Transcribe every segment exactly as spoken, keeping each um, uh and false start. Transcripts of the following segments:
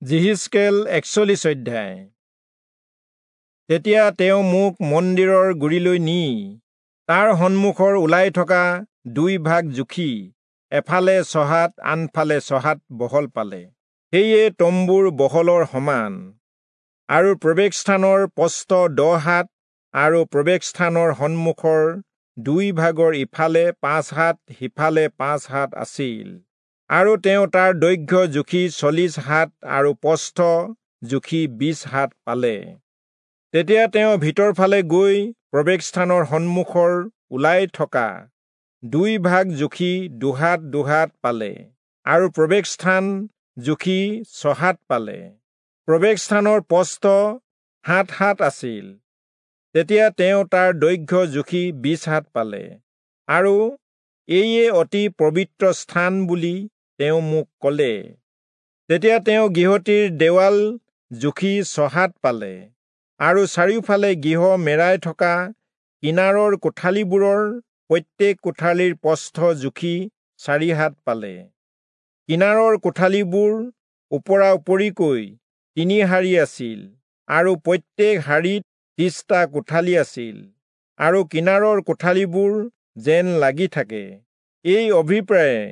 যিহিষ্কেল একচল্লিশ অধ্যায়। তেতিয়া তেওঁ মোক মন্দিৰৰ গুৰিলৈ নি তাৰ সন্মুখৰ ওলাই থকা দুই ভাগ জুখি এফালে ছহাত আনফালে ছহাত বহল পালে, সেয়ে তম্বুৰ বহলৰ সমান। আৰু প্ৰৱেশস্থানৰ প্ৰস্থ দহ হাত আৰু প্ৰৱেশস্থানৰ সন্মুখৰ দুই ভাগৰ ইফালে পাঁচ হাত সিফালে পাঁচ হাত আছিল। আৰু তেওঁ তাৰ দৈৰ্ঘ্য জুখি চল্লিশ হাত আৰু প্ৰস্থ জুখি বিশ হাত পালে। তেতিয়া তেওঁ ভিতৰফালে গৈ প্ৰৱেশস্থানৰ সন্মুখৰ ওলাই থকা দুই ভাগ জুখি দুহাত দুহাত পালে আৰু প্ৰৱেশস্থান জুখি ছহাত পালে। প্ৰৱেশস্থানৰ প্ৰস্থ সাত হাত আছিল। তেতিয়া তেওঁ তাৰ দৈৰ্ঘ্য জুখি বিশ হাত পালে আৰু এইয়ে অতি পবিত্ৰ স্থান বুলি তেওঁ মোক কলে। তেতিয়া তেওঁ গৃহটিৰ দেৱাল জুখি ছহাত পালে আৰু চাৰিওফালে গৃহ মেৰাই থকা কিনাৰৰ কোঠালিবোৰৰ প্ৰত্যেক কোঠালিৰ প্ৰস্থ জুখি চাৰি হাত পালে। কিনাৰৰ কোঠালিবোৰ ওপৰা উপৰিকৈ তিনি শাৰী আছিল আৰু প্ৰত্যেক শাৰীত ত্ৰিশটা কোঠালি আছিল আৰু কিনাৰৰ কোঠালিবোৰ যেন লাগি থাকে। এই অভিপ্ৰায়ে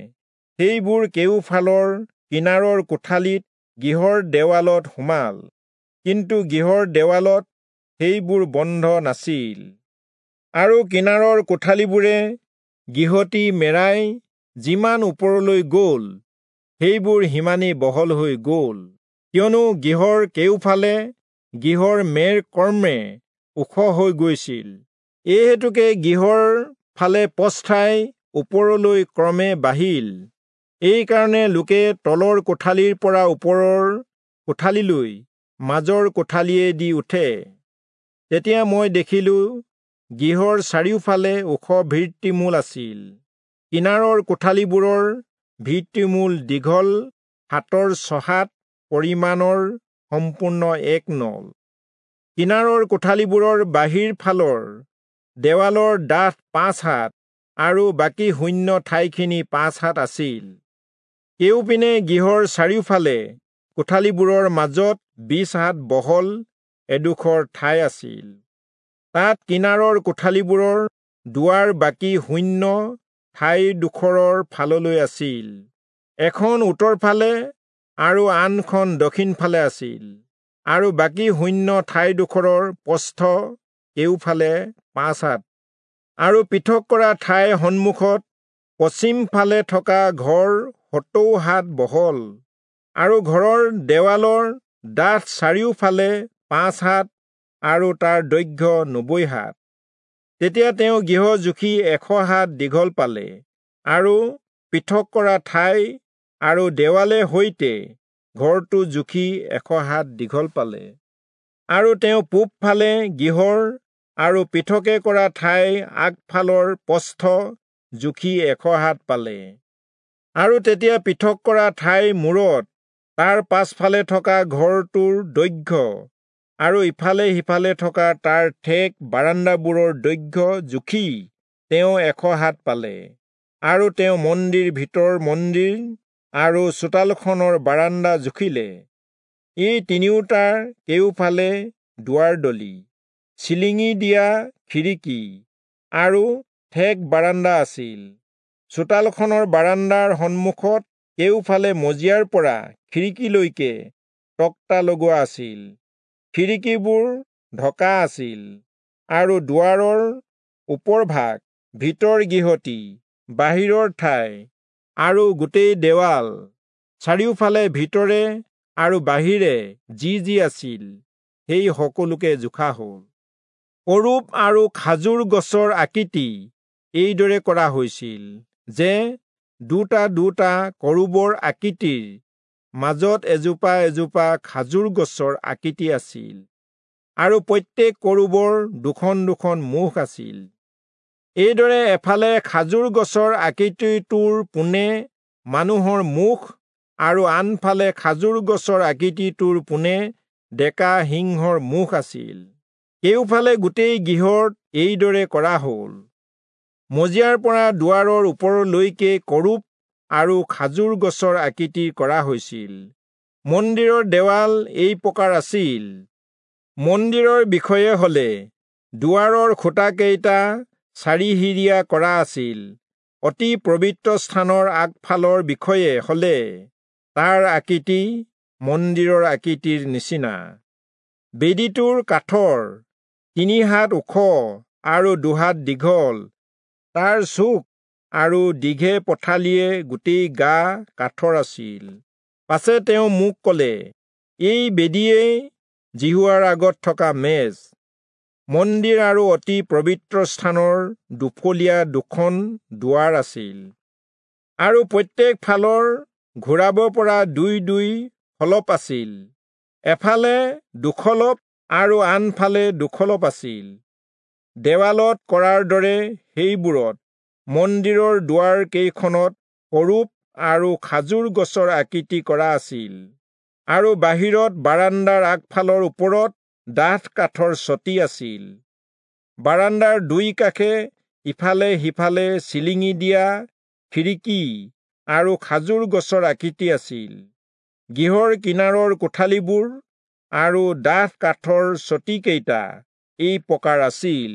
সেইবোৰ কেউফালৰ কিনাৰৰ কোঠালিত গৃহৰ দেৱালত সোমাল, কিন্তু গৃহৰ দেৱালত সেইবোৰ বন্ধ নাছিল। আৰু কিনাৰৰ কোঠালিবোৰে গৃহটি মেৰাই যিমান ওপৰলৈ গ'ল, সেইবোৰ সিমানেই বহল হৈ গ'ল, কিয়নো গৃহৰ কেউফালে গৃহৰ মেৰ কৰ্মে ওখ হৈ গৈছিল। এই হেতুকে গৃহৰ ফালে প্ৰস্থাই ওপৰলৈ ক্ৰমে বাঢ়িল। এইকাৰণে লোকে তলৰ কোঠালিৰ পৰা ওপৰৰ কোঠালিলৈ মাজৰ কোঠালিয়েদি উঠে। তেতিয়া মই দেখিলোঁ, গৃহৰ চাৰিওফালে ওখ ভিত্তিমূল আছিল। কিনাৰৰ কোঠালিবোৰৰ ভিত্তিমূল দীঘল হাতৰ ছহাত পৰিমাণৰ সম্পূৰ্ণ এক নল। কিনাৰৰ কোঠালিবোৰৰ বাহিৰ ফালৰ দেৱালৰ ডাঠ পাঁচ হাত আৰু বাকী শূন্য ঠাইখিনি পাঁচ হাত আছিল। কেউপিনে গৃহৰ চাৰিওফালে কোঠালিবোৰৰ মাজত বিশ হাত বহল এডোখৰ ঠাই আছিল। তাত কিনাৰৰ কোঠালিবোৰৰ দুৱাৰ বাকী শূন্য ঠাইডোখৰৰ ফাললৈ আছিল। এখন উত্তৰ ফালে আৰু আনখন দক্ষিণ ফালে আছিল আৰু বাকী শূন্য ঠাইডোখৰৰ প্ৰস্থ কেউফালে পাঁচ হাত। আৰু পৃথক কৰা ঠাইৰ সন্মুখত পশ্চিম ফালে থকা ঘৰ সত্তৰ হাত বহল আৰু ঘৰৰ দেৱালৰ ডাঠ চাৰিওফালে পাঁচ হাত আৰু তাৰ দৈৰ্ঘ্য নব্বৈ হাত। তেতিয়া তেওঁ গৃহ জুখি এশ হাত দীঘল পালে আৰু পৃথক কৰা ঠাই আৰু দেৱালে সৈতে ঘৰটো জুখি এশ হাত দীঘল পালে। আৰু তেওঁ পূব ফালে গৃহৰ আৰু পৃথকে কৰা ঠাই আগফালৰ প্ৰস্থ জুখি এশ হাত পালে। আৰু তেতিয়া পৃথক কৰা ঠাইৰ মূৰত তাৰ পাছফালে থকা ঘৰটোৰ দৈৰ্ঘ্য আৰু ইফালে সিফালে থকা তাৰ ঠেক বাৰাণ্ডাবোৰৰ দৈৰ্ঘ্য জুখি তেওঁ এশ হাত পালে। আৰু তেওঁ মন্দিৰ ভিতৰ মন্দিৰ আৰু চোতালখনৰ বাৰাণ্ডা জুখিলে। এই তিনিওটাৰ কেউফালে দুৱাৰদলি, চিলিঙি দিয়া খিৰিকী আৰু ঠেক বাৰাণ্ডা আছিল। চোতালখনৰ বাৰাণ্ডাৰ সন্মুখত কেউফালে মজিয়াৰ পৰা খিৰিকীলৈকে তক্তা লগোৱা আছিল। খিৰিকীবোৰ ঢকা আছিল আৰু দুৱাৰৰ ওপৰভাগ, ভিতৰ গৃহটি, বাহিৰৰ ঠাই আৰু গোটেই দেৱাল চাৰিওফালে ভিতৰে আৰু বাহিৰে যি যি আছিল সেই সকলোকে জোখা হ'ল। কৰূব আৰু খাজুৰ গছৰ আকৃতি এইদৰে কৰা হৈছিল যে দুটা দুটা কৰূবৰ আকৃতিৰ মাজত এজোপা এজোপা খাজুৰ গছৰ আকৃতি আছিল আৰু প্ৰত্যেক কৰূবৰ দুখন দুখন মুখ আছিল। এইদৰে এফালে খাজুৰ গছৰ আকৃতিটোৰ পোনে মানুহৰ মুখ আৰু আনফালে খাজুৰ গছৰ আকৃতিটোৰ পোনে ডেকা সিংহৰ মুখ আছিল। কেউফালে গোটেই গৃহত এইদৰে কৰা হ'ল। মজিয়াৰ পৰা দুৱাৰৰ ওপৰলৈকে কৰূব আৰু খাজুৰ গছৰ আকৃতি কৰা হৈছিল। মন্দিৰৰ দেৱাল এই প্ৰকাৰ আছিল। মন্দিৰৰ বিষয়ে হলে দুৱাৰৰ খুঁটাকেইটা চাৰিসিৰীয়া কৰা আছিল। অতি পবিত্ৰ স্থানৰ আগফালৰ বিষয়ে হলে তাৰ আকৃতি মন্দিৰৰ আকৃতিৰ নিচিনা। বেদীটোৰ কাঠৰ তিনি হাত ওখ আৰু দুহাত দীঘল, তাৰ চুক আৰু দীঘে পথালিয়ে গোটেই গা কাঠৰ আছিল। পাছে তেওঁ মোক কলে, এই বেদীয়েই যিহোৱাৰ আগত থকা মেজ। মন্দিৰ আৰু অতি পবিত্ৰ স্থানৰ দুফলীয়া দুখন দুৱাৰ আছিল, আৰু প্ৰত্যেক ফালৰ ঘূৰাব পৰা দুই দুই খলপ আছিল। এফালে দুখলপ আৰু আনফালে দুখলপ আছিল। দেৱালত কৰাৰ দৰে সেইবোৰত মন্দিৰৰ দুৱাৰ কেইখনত সৰূপ আৰু খাজুৰ গছৰ আকৃতি কৰা আছিল, আৰু বাহিৰত বাৰাণ্ডাৰ আগফালৰ ওপৰত ডাঠ কাঠৰ চটি আছিল। বাৰাণ্ডাৰ দুই কাষে ইফালে সিফালে চিলিঙি দিয়া খিৰিকী আৰু খাজুৰ গছৰ আকৃতি আছিল। গৃহৰ কিনাৰৰ কোঠালিবোৰ আৰু ডাঠ কাঠৰ চটিকেইটা এই প্ৰকাৰ আছিল।